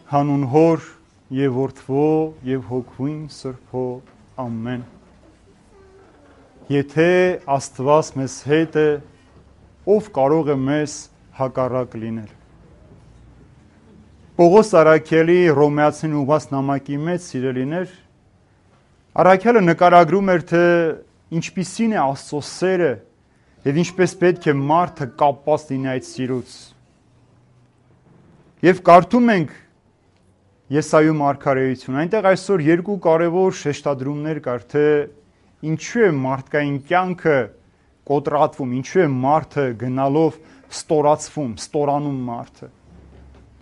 Հանուն Հոր եւ Որդվո եւ Հոգուին Սրբո ամեն։ Եթե Աստված մեզ հետ է, ով կարող է մեզ հակառակ լինել։ Պողոս Առաքյալի Հռոմեացին ուղղված նամակի մեջ, սիրելիներ, Առաքյալը նկարագրում էր, թե ինչպիսին է Աստծո սերը եւ ինչպես պետք է մարդը կապված լինի այդ սիրուց։ Եվ կարդում ենք Եսայու մարգարեություն, այնտեղ այսօր երկու կարևոր շեշտադրումներ կար, թե ինչու է մարդկային կյանքը կոտրատվում, ինչու է մարդը գնալով ստորացվում, ստորանում մարդը։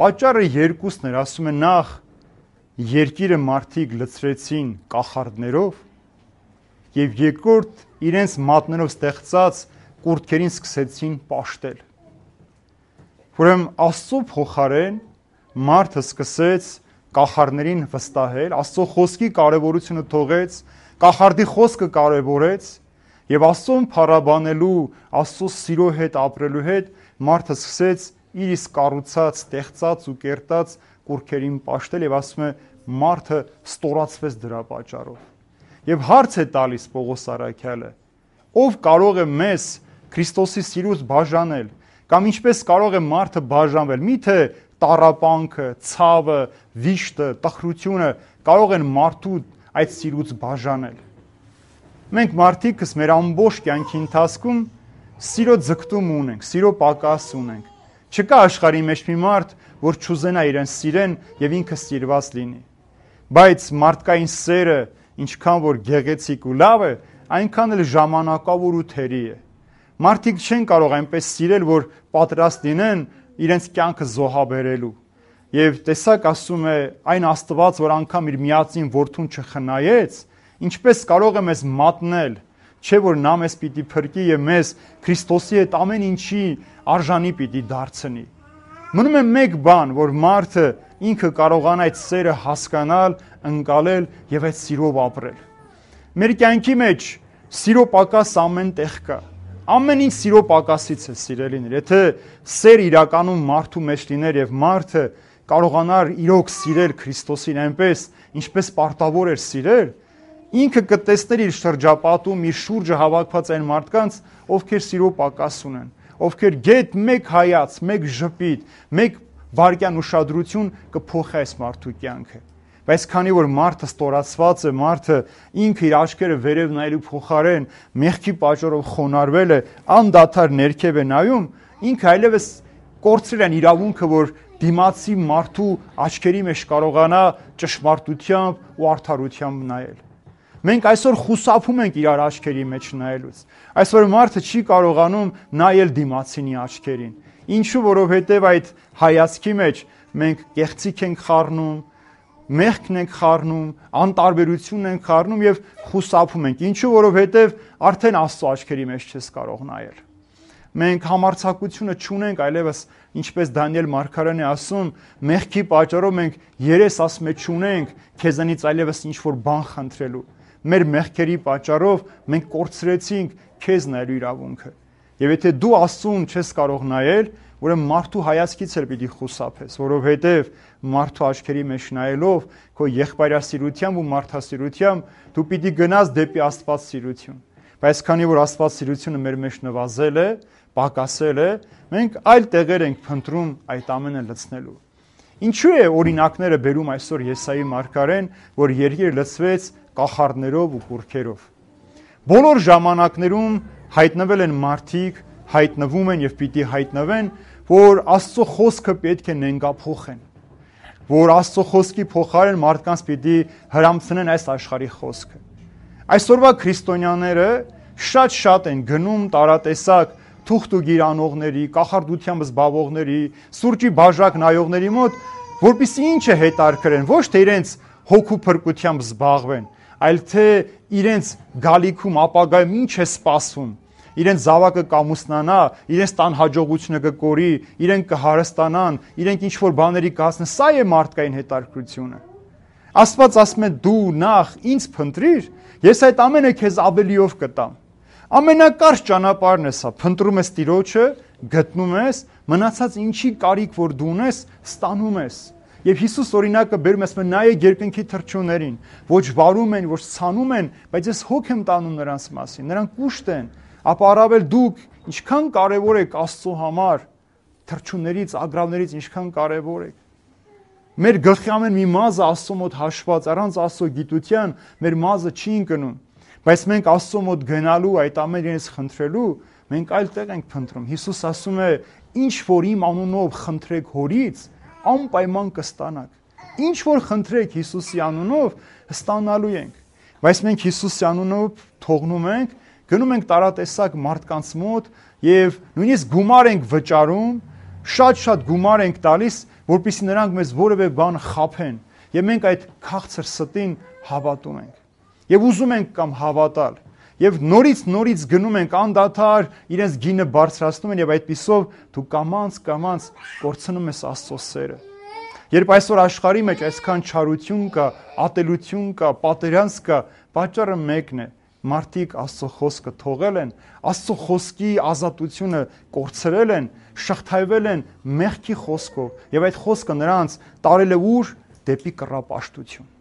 Պատճառը երկուսն էր, ասում է նախ երկիրը մարդիկ լցրեցին կախարդներով եւ երկրորդ իրենց մատներով ստեղծած կուրտքերին սկսեցին պաշտել։ Ուրեմն Աստծո փոխարեն մարդը սկսեց կախարդներին վստահել, Աստծո խոսքի կարևորությունը թողեց, կախարդի խոսքը կարևորեց եւ Աստծուն փառաբանելու, Աստծո սիրո հետ ապրելու հետ մարդը սկսեց իր իսկ կառուցած, ստեղծած ու կերտած կուրքերին պաշտել եւ ասում է մարդը ստորացվեց դրա պատճառով։ Եվ հարց է տալիս Պողոս Առաքյալը. ով կարող է մեզ Քրիստոսի սիրուց բաժանել, կամ ինչպես կարող է մարդը բաժանվել։ Միթե տառապանքը, ցավը, վիշտը, տխրությունը կարող են մարդու այդ սիրուց բաժանել։ Մենք մարդիկս մեր ամբողջ կյանքի ընթացքում սիրո ձգտում ունենք, սիրո պակաս ունենք։ Չկա աշխարհի մեջ մի մարդ, որ չուզենա իրեն սիրեն եւ ինքը սիրված լինի։ Բայց մարդկային սերը ինչքան որ գեղեցիկ ու լավ է, այնքան էլ ժամանակավոր ու թերի է։ Մարդիկ չեն կարող այնպես սիրել, որ պատրաստ լինեն իրենց կյանքը զոհաբերելու։ Եվ տեսակ ասում է այն Աստված, որ անգամ իր միածին որդուն չխնայեց, ինչպես կարող է մեզ մատնել, չէ որ նա մեզ պիտի փրկի եւ մեզ Քրիստոսի հետ ամեն ինչի արժանի պիտի դարձնի։ Մնում է մեկ բան, որ մարդը ինքը կարողանա այդ սերը հասկանալ, ընկալել եւ այդ սիրով ապրել։ Մեր կյանքի մեջ սիրո պակաս ամեն տեղ կա։ Ամեն ինչ սիրո պակասից է, սիրելիներ։ Եթե սեր իրականում մարդու մեջ լիներ եւ մարդը կարողանար իրոք սիրել Քրիստոսին այնպես, ինչպես պարտավոր էր սիրել, ինքը կտեսներ իր շրջապատում, իր շուրջը հավաքված այն մարդկանց, ովքեր սիրո պակաս ունեն, ովքեր գետ մեկ հայաց, մեկ ժպիտ, մեկ վարքյան ուշադրություն կփոխի այս մարդու կյանքը։ Բայց քանի որ մարդը ստորացված է, մարդը ինքը իր աչքերը վերև նայելու փոխարեն մեղքի պատճառով խոնարհվել է, անդադար ներքև է նայում, ինքը այլևս կորցրել է իրավունքը, որ դիմացի մարդու աչքերի մեջ կարողանա ճշմարտությամբ ու արդարությամբ նայել։ Մենք այսօր խուսափում ենք իրար աչքերի մեջ նայելուց։ Այսօր մարդը չի կարողանում նայել դիմացինի աչքերին։ Ինչու, որովհետև այդ հայացքի մեջ մենք կեղծիք ենք խառնում, մեղքն ենք խառնում, անտարբերությունն ենք խառնում եւ խուսափում ենք։ Ինչու, որովհետեւ արդեն Աստծո աչքերի մեջ չես կարող նայել։ Մենք համարձակությունը չունենք այլևս, ինչպես Դանիել մարգարեն է ասում, մեղքի պատճառով մենք երես ասում է չունենք քեզանից այլևս ինչ որ բան խնդրելու։ Մեր մեղքերի պատճառով մենք կորցրեցինք քեզ նայելու իրավունքը։ Եվ եթե դու Աստծուն չես կարող նայել, ուրեմն մարդու հայացքից էլ պիտի խուսափես, որովհետև մարդու աչքերի մեջ նայելով քո եղբայրասիրությամբ ու մարդասիրությամբ դու պիտի գնաս դեպի Աստվածսիրություն։ Բայց քանի որ Աստվածսիրությունը մեր մեջ նվազել է, պակասել է, մենք այլ տեղեր ենք փնտրում այդ ամենը լցնելու։ Ինչու է օրինակները բերում այսօր Եսայի մարգարեն, որ երկիրը լցվեց կախարդներով ու կուրքերով։ Բոլոր ժամանակներում հայտնվել են մարդիկ, հայտնվում են եւ պիտի հայտնվեն, որ Աստծո խոսքը պետք է նենգափոխեն, որ Աստծո խոսքի փոխարեն մարդկանց պիտի հրամցնեն այս աշխարհի խոսքը։ Այսօրվա քրիստոնյաները շատ են գնում տարատեսակ թուղթ ու գիրանողների, կախարդությամբ զբաղվողների, սուրճի բաժակ նայողների մոտ, որպեսզի ինչը հետարքրեն, ոչ թե իրենց հոգու փրկությամբ զբաղվեն, այլ թե իրենց գալիքում ապագայում ինչ է սպասվում, իրենց զավակը կամուսնանա, իրենց տան հաջողությունը կկորի, իրենք կհարստանան, իրենք ինչ որ բաների կհասնեն, սա է մարդկային հետարքրությունը։ Աստված ասում է դու նախ ինձ փնտրիր, ես այդ ամենը քեզ ավելիով կտամ։ Ամենակարճ ճանապարհն է սա, փնտրում ես Տիրոջը, գտնում ես, մնացած ինչի կարիք որ դու ունես, ստանում ես։ Եվ Հիսուս օրինակը բերում է, ասում է նայեք երկնքի թռչուններին, ոչ վարում են, ոչ ցանում են, բայց ես հոգ եմ տանում նրանց մասին, նրանք կուշտ են, ապա առավել դուք ինչքան կարևոր եք Աստծո համար, թռչուններից, ագռավներից ինչքան կարևոր եք։ Մեր գլխի ամեն մի մազը Աստծո մոտ հաշված, առանց Աստծո գիտության մեր մազը չի ընկնում, բայց մենք Աստծո մոտ գնալու, այդ ամեն իրենից խնդրելու, մենք այլ տեղ ենք փնտրում։ Հիսուս ասում է, ինչ որ իմ անունով խնդրեք Հորից, անպայման կստանաք։ Ինչ որ խնդրեք Հիսուսի անունով, ստանալու ենք։ Բայց մենք Հիսուսի անունով թողնում ենք, գնում ենք տարատեսակ մարդկանց մոտ եւ նույնիսկ գումար ենք վճարում, շատ գումար ենք տալիս, որպեսզի նրանք մեզ որևէ բան խաբեն, եւ մենք այդ քաղցր ստին հավատում ենք։ Եվ ուզում ենք կամ հավատալ, եւ նորից գնում ենք անդադար իրենց գինը բարձրացնում են եւ այդպիսով դու կամած կորցնում ես Աստծո սերը։ Երբ այսօր աշխարհի մեջ այսքան չարություն կա, ատելություն կա, պատերազմ կա, պատճառը մեկն է։ Մարդիկ Աստծո խոսքը թողել են, Աստծո խոսքի ազատությունը կորցրել են, շղթայվել են մեղքի խոսքով եւ այդ խոսքը նրանց տարել է ուր դեպի կռապաշտություն։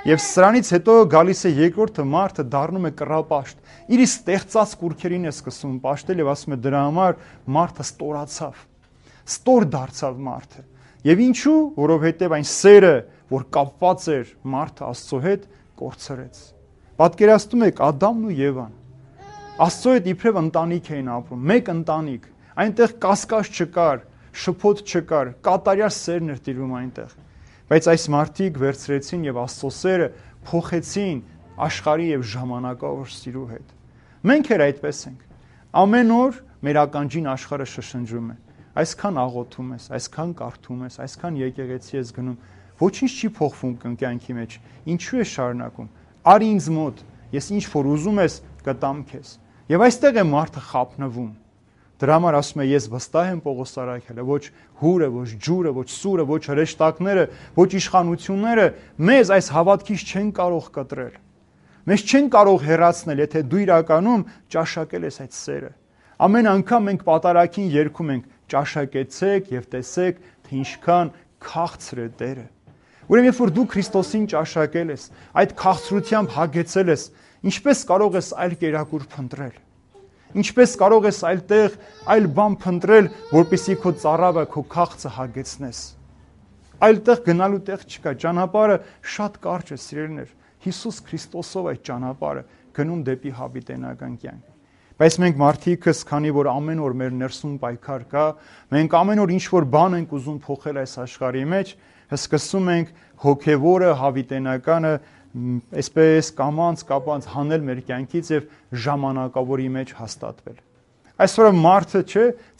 Եվ սրանից հետո գալիս է երկրորդը, մարդը դառնում է կռապաշտ։ Իր ստեղծած կուրքերին է սկսում պաշտել եւ ասում է դրա համար մարդը ստորացավ։ Ստոր դարձավ մարդը։ Եվ ինչու? Որովհետեւ այն սերը, որ կապված էր մարդը Աստծո հետ, կորցրեց։ Պատկերացնում եք Ադամն ու Եվան։ Աստծո հետ իբրև ընտանիք էին ապրում, մեկ ընտանիք։ Այնտեղ կասկած չկար, շփոթ չկար, կատարյալ սերն էր տիրում այնտեղ։ Բայց այս մարդիկ վերցրեցին եւ Աստծո սերը փոխեցին աշխարհի եւ ժամանակավոր սիրու հետ։ Մենք էլ այդպես ենք։ Ամեն օր մեր ականջին աշխարհը շշնջում է։ Այսքան աղոթում ես, այսքան կարդում ես, այսքան եկեղեցի ես գնում, ոչինչ չի փոխվում կյանքի մեջ։ Ինչու է շարունակում։ Արի ինձ մոտ, ես ինչ որ ուզում ես, կտամ քեզ։ Եվ այստեղ է մարդը խափնվում։ Դրա համար ասում է ես վստահ եմ Պողոս Արաքելը, ոչ հուրը, ոչ ջուրը, ոչ սուրը, ոչ հրեշտակները, ոչ իշխանությունները մեզ այս հավատքից չեն կարող կտրել։ Մեզ չեն կարող հեռացնել, եթե դու իրականում ճաշակել ես այդ սերը։ Ամեն անգամ մենք պատարագին երգում ենք ճաշակեցեք եւ տեսեք, թե ինչքան քաղցր է Տերը։ Ուրեմն երբ որ դու Քրիստոսին ճաշակել ես, այդ քաղցրությամբ հագեցել ես, ինչպես կարող ես այլ կերակուր փնտրել։ Ինչպես կարող ես այլտեղ այլ բան փնտրել, որպեսզի քո ծառավը, քո քաղցը հագեցնես։ Այլտեղ գնալու տեղ չկա, ճանապարհը շատ կարճ է, սիրելիներ։ Հիսուս Քրիստոսով այդ ճանապարհը գնում դեպի հավիտենական կյանք։ Բայց մենք մարդիկս, քանի որ ամեն օր մեր ներսում պայքար կա, մենք ամեն օր ինչ որ բան ենք ուզում փոխել այս աշխարհի մեջ, սկսում ենք հոգևորը, հավիտենականը այսպես կապանց հանել մեր կյանքից եւ ժամանակավորի մեջ հաստատվել։ Այսօր մարդը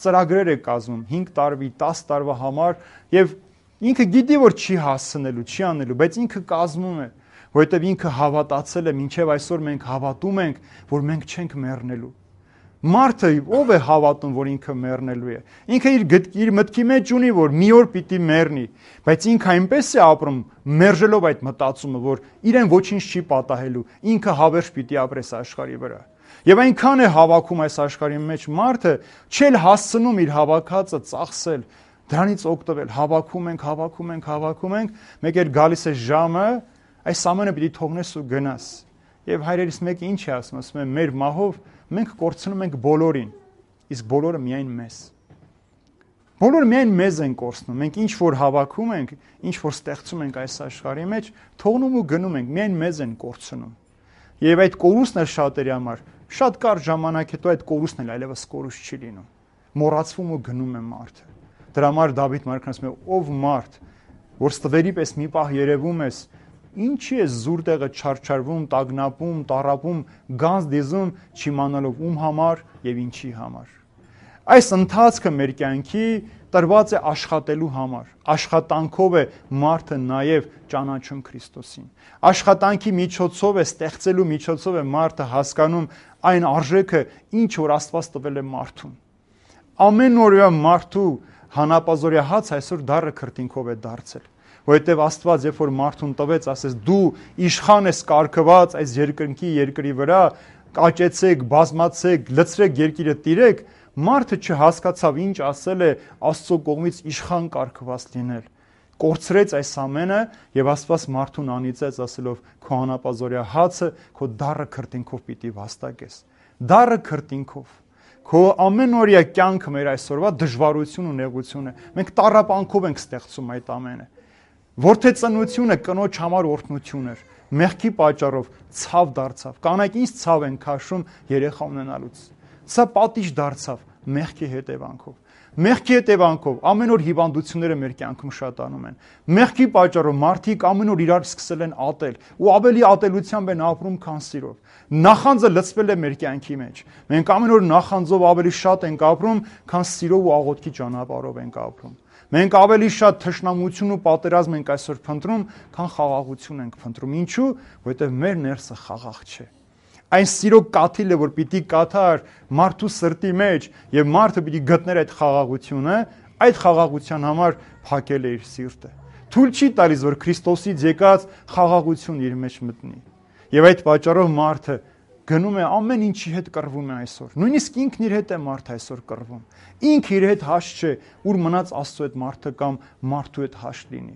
ծրագրեր է կազմում 5 տարվա, 10 տարվա համար եւ ինքը գիտի որ չի հասնելու, չի անելու, բայց ինքը կազմում է, որովհետեւ ինքը հավատացել է, մինչեւ այսօր մենք հավատում ենք, որ մենք չենք մեռնելու։ Մարդը ով է հավատում, որ ինքը մեռնելու է։ Ինքը իր մտքի մեջ ունի, որ մի օր պիտի մեռնի, բայց ինքը այնպես է ապրում, մերժելով այդ մտածումը, որ իրեն ոչինչ չի պատահելու, ինքը հավերժ պիտի ապրես աշխարհի վրա։ Եվ այնքան է հավաքում այս աշխարհի մեջ մարդը, չել հասցնում իր հավաքածը ծախսել, դրանից օգտվել, հավաքում ենք, մեկ էլ գալիս է ժամը, այս ամենը պիտի թողնես ու գնաս։ Եվ հայրերիս մեկը ինչ է ասում է, մեր մահով մենք կորցնում ենք բոլորին, իսկ բոլորը միայն մեզ։ Բոլորը միայն մեզ են կորցնում, մենք ինչ որ հավաքում ենք, ինչ որ ստեղծում ենք այս աշխարհի մեջ, թողնում ու գնում ենք, միայն մեզ են կորցնում։ Եվ այդ կորուստն է շատերի համար, շատ կարճ ժամանակ հետո այդ կորուստն էլ այլևս կորուստ չի լինում։ Մոռացվում ու գնում է մարդը։ Դրա համար Դավիթ մարգարեն ասում է, ով մարդ, որ ստվերի պես մի պահ երևում ես, ինչի է զուր տեղը չարչարվում, տագնապում, տառապում, գանձ դիզում, չիմանալով ում համար եւ ինչի համար։ Այս ընթացքը մեր կյանքի տրված է աշխատելու համար։ Աշխատանքով է մարդը նաեւ ճանաչում Քրիստոսին։ Աշխատանքի միջոցով է, ստեղծելու միջոցով է մարդը հասկանում այն արժեքը, ինչ որ Աստված տվել է մարդուն։ Ամեն օրվա մարդու հանապազորյա հաց այսօր դառը քրտինքով է դարձել։ Որովհետև Աստված երբ որ մարդուն տվեց, ասես դու իշխան ես կարգված այս երկրի վրա, կաճեցեք, բազմացեք, լցրեք երկիրը տիրեք, մարդը չհասկացավ ինչ ասել է Աստծո կողմից իշխան կարգված լինել։ կորցրեց այս ամենը եւ Աստված մարդուն անիծեց, ասելով քո անապազորյա հացը քո դառը քրտինքով պիտի վաստակես։ Դառը քրտինքով։ Քո ամենօրյա կյանքը մեր այսօրվա դժվարություն ու նեղություն է։ Մենք տառապանքով ենք ստեղծում այդ ամենը։ Որդեծնությունը կնոջ համար օրհնություն էր։ Մեղքի պատճառով ցավ դարձավ։ Կանայք ինչ ցավ են քաշում երեխա ունենալուց։ Սա պատիժ դարձավ մեղքի հետևանքով։ Մեղքի հետևանքով ամեն օր հիվանդությունները մեր կյանքում շատանում են։ Մեղքի պատճառով մարդիկ ամեն օր իրար սկսել են ատել ու ավելի ատելությամբ են ապրում, քան սիրով։ Նախանձը լցվել է մեր կյանքի մեջ։ Մենք ամեն օր նախանձով ավելի շատ ենք ապրում, քան սիրով ու աղոթքի ճանապարհով ենք ապրում։ Մենք ավելի շատ թշնամություն ու պատերազմ ենք այսօր փնտրում, քան խաղաղություն ենք փնտրում։ Ինչու՞, որովհետև մեր ներսը խաղաղ չէ։ Այն սիրո կաթիլը, որ պիտի կաթար մարդու սրտի մեջ եւ մարդը պիտի գտներ այդ խաղաղությունը, այդ խաղաղության համար փակել է իր սիրտը։ Թույլ չի տալիս, որ Քրիստոսից եկած խաղաղություն իր մեջ մտնի։ Եվ այդ պատճառով մարդը գնում է ամեն ինչի հետ կռվում է այսօր։ Նույնիսկ ինքն իր հետ է մարդը այսօր կռվում։ Ինքը իր հետ հաշտ չէ, ուր մնաց Աստծո հետ մարդը կամ մարդու հետ հաշտ լինի։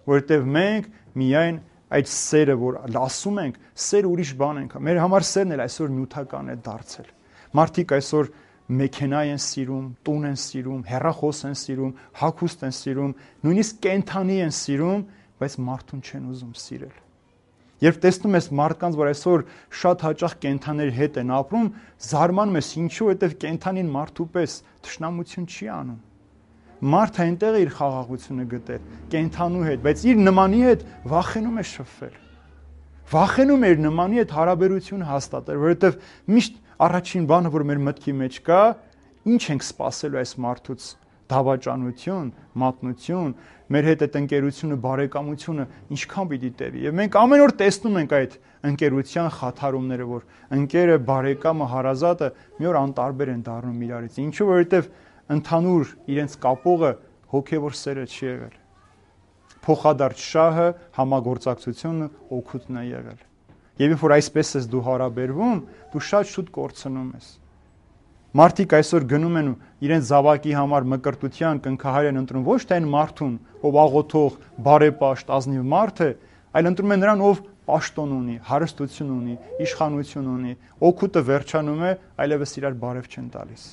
Որովհետև մենք միայն այդ սերը, որ ասում ենք, սեր ուրիշ բան ենք։ Մեր համար սերն էլ այսօր նյութական է դարձել։ Մարդիկ այսօր մեքենա են սիրում, տուն են սիրում, հեռախոս են սիրում, հագուստ են սիրում, նույնիսկ կենդանի են սիրում, բայց մարդուն չեն ուզում սիրել։ Երբ տեսնում ես մարդկանց, որ այսօր շատ հաճախ կենդանների հետ են ապրում, զարմանում ես ինչու, որովհետև կենդանին մարդու պես թշնամություն չի անում։ Մարդը այնտեղ է իր խաղաղությունը գտել, կենդանու հետ, բայց իր նմանի հետ վախենում է շփվել։ Վախենում է իր նմանի հետ հարաբերություն հաստատել, որովհետև միշտ առաջին բանը, որ մեր մտքի մեջ կա, ինչ ենք սպասելու այս մարդուց՝ դավաճանություն, մատնություն, մեր հետ այդ ընկերությունը, բարեկամությունը ինչքան պիտի տևի։ Եվ մենք ամեն օր տեսնում ենք այդ ընկերության խաթարումները, որ ընկերը, բարեկամը, հարազատը մի օր անտարբեր են դառնում իրարից։ Ինչու՞, որովհետև ընդհանուր իրենց կապողը հոգևոր սերը չի եղել։ Փոխադարձ շահը, համագործակցությունը, օգուտն է եղել։ Եվ երբ որ այսպես ես դու հարաբերվում, դու շատ շուտ կորցնում ես։ Մարդիկ այսօր գնում են ու իրենց զավակի համար մկրտության կնքահայր են ընտրում ոչ թե այն մարդուն, ով աղոթող, բարեպաշտ, ազնիվ մարդ է, այլ ընտրում են նրան, ով պաշտոն ունի, հարստություն ունի, իշխանություն ունի, օգուտը վերջանում է, այլևս իրար բարև չեն տալիս։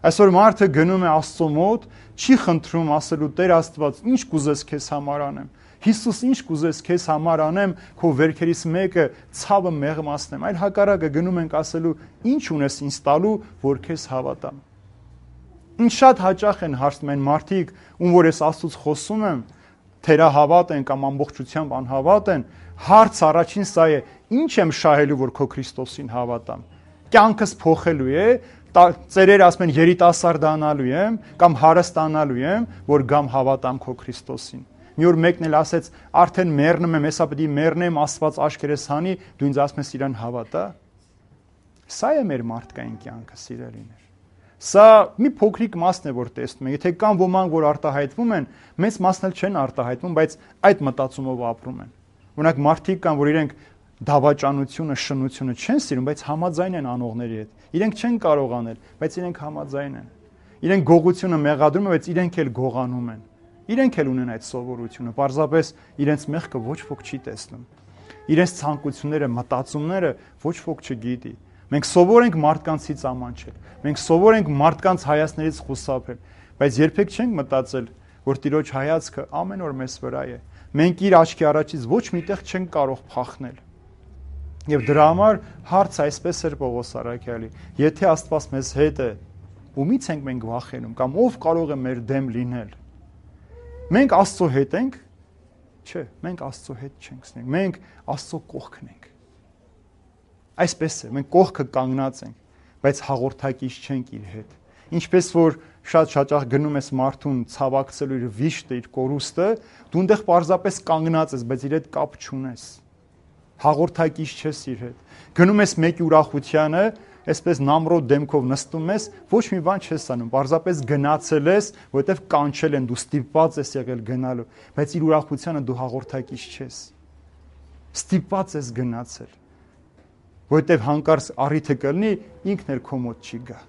Այսօր մարդը գնում է Աստծո մոտ, չի խնդրում ասելու Տեր Աստված, ինչ կուզես քեզ համար անեմ։ Հիսուս, ինչ կուզես քեզ համար անեմ, քո վերքերից մեկը ցավը մեղմացնեմ, այլ հակառակը գնում ենք ասելու, ինչ ունես ինձ տալու, որ քեզ հավատամ։ Ինչ շատ հաճախ են հարցնում այն մարդիկ, ում որ ես Աստծուց խոսում եմ, թերահավատ են կամ ամբողջությամբ անհավատ են, հարց առաջին սա է, ինչ եմ շահելու, որ քո Քրիստոսին հավատամ։ Կյանքս փոխելու է, ծերեր ասում են երիտասարդանալու եմ կամ հարստանալու եմ, որ գամ հավատամ քո Քրիստոսին։ Մի օր մեկն էլ ասեց, արդեն մեռնում եմ, հեսա պետք է մեռնեմ, Աստված աչքերս հանի, դու ինձ ասում ես իրան հավատա։ Սա է մեր մարդկային կյանքը, սիրելիներ։ Սա մի փոքրիկ մասն է, որ տեսնում ենք։ Եթե կան ոմանք, որ արտահայտվում են, մեծ մասն էլ չեն արտահայտվում, բայց այդ մտածումով ապրում են։ Օրինակ մարդիկ կան, որ իրենք դավաճանությունը, շնությունը չեն սիրում, բայց համաձայն են անողների հետ։ Իրենք չեն կարող անել, բայց իրենք համաձայն են։ Իրենք գողությունը մեղադրում են, բայց իրենք էլ գողանում են։ Իրենք էլ ունեն այդ սովորությունը, պարզապես իրենց մեղքը ոչ ոք չի տեսնում։ Իրենց ցանկությունները, մտածումները ոչ ոք չգիտի։ Մենք սովոր ենք մարդկանցից ամանչել։ Մենք սովոր ենք մարդկանց հայացքներից խուսափել, բայց երբեք չենք մտածել, որ Տիրոջ հայացքը ամեն օր մեզ վրա է։ Մենք իր աչքի առաջից ոչ միտեղ չենք կարող փախնել։ Եվ դրա համար հարցը այսպես էր Պողոս առաքյալի. եթե Աստված մեզ հետ է, ումից ենք մենք վախենում կամ ով կարող է մեր դեմ լինել։ Մենք Աստծո հետ ենք, չէ, մենք Աստծո հետ չենք սնենք, մենք Աստծո կողքն ենք։ Այսպես է, մենք կողքը կանգնած ենք, բայց հաղորդակից չենք իր հետ։ Ինչպես որ շատ հաճախ գնում ես մարդուն ցավակցելու իր վիշտը, իր կորուստը, դու այնտեղ պարզապես կանգնած ես, բայց իր հետ կապ չունես։ Հաղորդակից չես իր հետ։ Գնում ես մեկի ուրախությանը, այսպես նամրոտ դեմքով նստում ես, ոչ մի բան չես անում, պարզապես գնացել ես, որովհետև կանչել են, դու ստիպված ես եղել գնալու, բայց իր ուրախությանը դու հաղորդակից չես։ Ստիպված ես գնացել, որովհետև հանկարծ առիթը կլինի, ինքն էլ քո մոտ չի գա։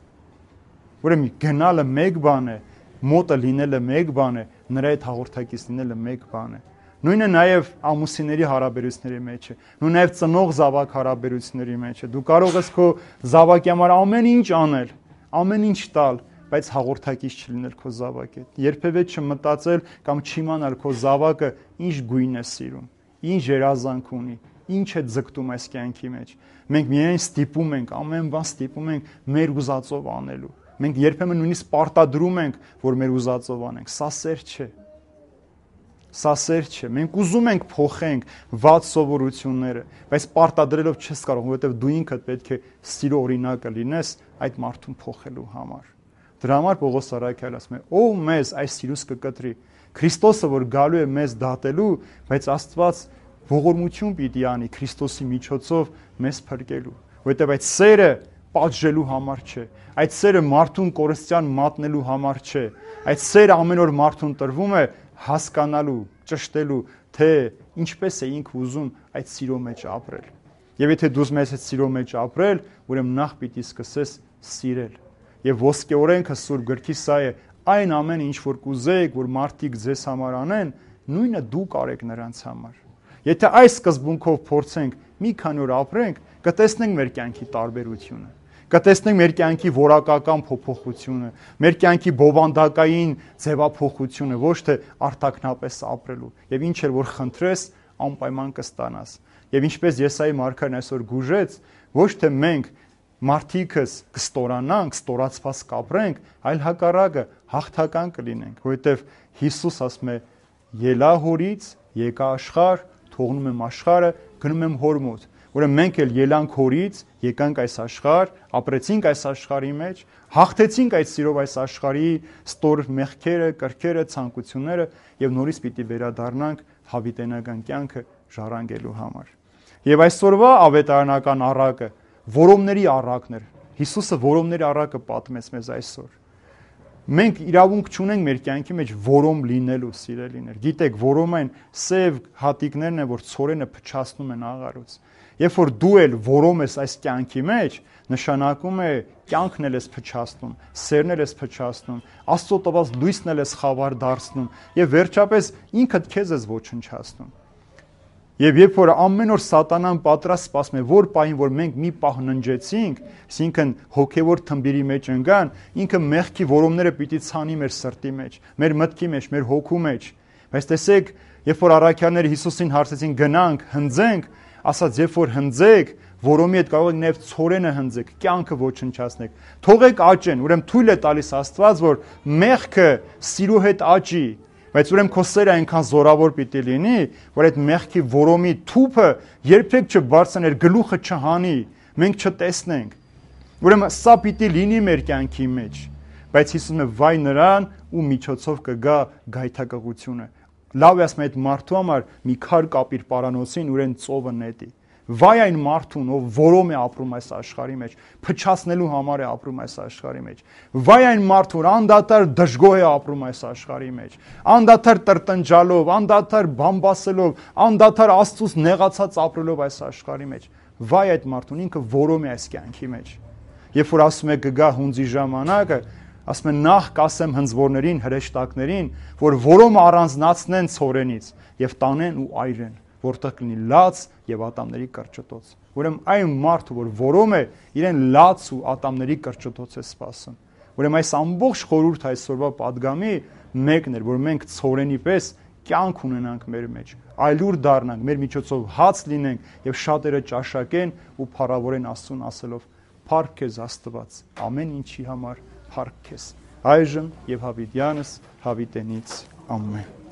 Ուրեմն գնալը մեկ բան է, մոտը լինելը մեկ բան է, նրա հետ հաղորդակից լինելը մեկ բան է։ Նույնը նաև ամուսինների հարաբերությունների մեջ է, նույն նաև ծնող զավակ հարաբերությունների մեջ է։ Դու կարող ես քո զավակի համար ամեն ինչ անել, ամեն ինչ տալ, բայց հաղորդակից չլինել քո զավակի հետ։ Երբևէ չմտածել կամ չիմանալ քո զավակը ինչ գույն է սիրում, ինչ երազանք ունի, ինչ է ձգտում այս կյանքի մեջ։ Մենք միայն ստիպում ենք, ամեն բան ստիպում ենք մեր ուզածով անելու։ Մենք երբեմն նույնիսկ պարտադրում ենք, որ մեր ուզածով անենք։ Սա սեր չէ։ Սա սեր չէ։ Մենք ուզում ենք փոխենք վատ սովորությունները, բայց պարտադրելով չես կարող, որովհետև դու ինքդ պետք է սիրո օրինակը լինես այդ մարդուն փոխելու համար։ Դրա համար Պողոս Արաքյալը ասում է. «Ով մեզ այս սիրուց կկտրի»։ Քրիստոսը, որ գալու է մեզ դատելու, բայց Աստված ողորմություն պիտի անի Քրիստոսի միջոցով մեզ փրկելու, որովհետև այդ սերը պատժելու համար չէ, այդ սերը մարդուն կորստյան մատնելու համար չէ, այդ սերը ամեն օր մարդուն տրվում է հասկանալու, ճշտելու, թե ինչպես է ինքը ուզում այդ սիրո մեջ ապրել։ Եվ եթե դու ուզում ես այդ սիրո մեջ ապրել, ուրեմն նախ պիտի սկսես սիրել։ Եվ ոսկե օրենքը Սուրբ գրքի սա է. այն ամեն ինչ որ կուզեք, որ մարդիկ ձեզ համար անեն, նույնը դուք արեք նրանց համար։ Եթե այս սկզբունքով փորձենք մի քանի օր ապրենք, կտեսնենք մեր կյանքի տարբերությունը, կտեսնենք մեր կյանքի որակական փոփոխությունը, մեր կյանքի բովանդակային ձևափոխությունը, ոչ թե արտաքնապես ապրելու։ Եվ ինչ էլ որ խնդրես, անպայման կստանաս։ Եվ ինչպես Եսայի մարգարեն այսօր գուժեց, ոչ թե մենք մարդիկս կստորանանք, ստորացված կապրենք, այլ հակառակը հաղթական կլինենք, որովհետև Հիսուս ասում է. «Ելա հորից, եկա աշխարհ, թողնում եմ աշխարհը, գնում եմ հոր մոտ»։ Ուրեմն մենք էլ ելանք հորից, եկանք այս աշխարհ, ապրեցինք այս աշխարհի մեջ, հաղթեցինք այդ սիրով այս աշխարհի ստոր մեղքերը, կրքերը, ցանկությունները եւ նորից պիտի վերադառնանք հավիտենական կյանքը ժառանգելու համար։ Եվ այսօրվա ավետարանական առակը որոմների առակն էր։ Հիսուսը որոմների առակը պատմեց մեզ այսօր։ Մենք իրավունք չունենք մեր կյանքի մեջ որոմ լինելու, սիրելիներ։ Գիտեք, որոմն սև հատիկներն են, որ ցորենը փչացնում են աղարուց։ Երբ որ դու էլ որոմ ես այս կյանքի մեջ, նշանակում է կյանքն էլ ես փչացնում, սերն էլ ես փչացնում, Աստծո տված լույսն էլ ես խավար դարձնում եւ վերջապես ինքդ քեզ ես ոչնչացնում։ Եվ երբ որ ամեն օր սատանան պատրաստ սպասում է, որ պահին, որ մենք մի պահ ննջեցինք, այսինքն հոգևոր թմբիրի մեջ ընկան, ինքը մեղքի որոմները պիտի ցանի մեր սրտի մեջ, մեր մտքի մեջ, մեր հոգու մեջ։ Բայց տեսեք, երբ որ առաքյալները Հիսուսին հարցեցին գնանք, հնձենք, ասաց, երբ որ հնձեք, որոմի հետ կարող եք նաև ցորենը հնձեք, կյանքը ոչնչացնեք։ Թողեք աճեն, ուրեմն թույլ է տալիս Աստված, որ մեղքը սիրո հետ աճի, բայց ուրեմն քո սերը այնքան զորավոր պիտի լինի, որ այդ մեղքի որոմի թուփը երբեք չբարձրաներ, գլուխը չհանի, մենք չտեսնենք։ Ուրեմն սա պիտի լինի մեր կյանքի մեջ, բայց Հիսուսն է վայ նրան, ու միջոցով կգա գայթակղությունը։ Լավ է ասում այդ մարդու համար մի քար կապիր պարանոցին, ուրեն ծովը նետի։ Վայ այն մարդուն, ով որոմ է ապրում այս աշխարհի մեջ, փչացնելու համար է ապրում այս աշխարհի մեջ։ Վայ այն մարդուն, որ անդադար դժգոհ է ապրում այս աշխարհի մեջ, անդադար տրտնջալով, անդադար բամբասելով, անդադար Աստծուց նեղացած ապրելով այս աշխարհի մեջ։ Վայ այդ մարդուն, ինքը որոմ է այս կյանքի մեջ։ Երբ որ ասում է կգա հունձի ժամանակը, ասում են նախ կասեմ հնձվորներին, հրեշտակներին, որ որոմը առանձնացնեն ցորենից եւ տանեն ու այրեն, որտեղ կլինի լաց եւ ատամների կրճտոց։ Ուրեմն այն մարդը, որ որոմ է, իրեն լաց ու ատամների կրճտոց է սպասում։ Ուրեմն այս ամբողջ խորհուրդ այսօրվա падգամի մեկն էր, որ մենք ցորենի պես կյանք ունենանք մեր մեջ, այլուր դառնանք, մեր միջոցով հաց լինենք եւ շատերը ճաշակեն ու փառավորեն Աստծուն ասելով. «Փառք քեզ Աստված, ամեն ինչի համար փառք քեզ»։ Այժմ եւ հավիտյանս հավիտենից ամեն։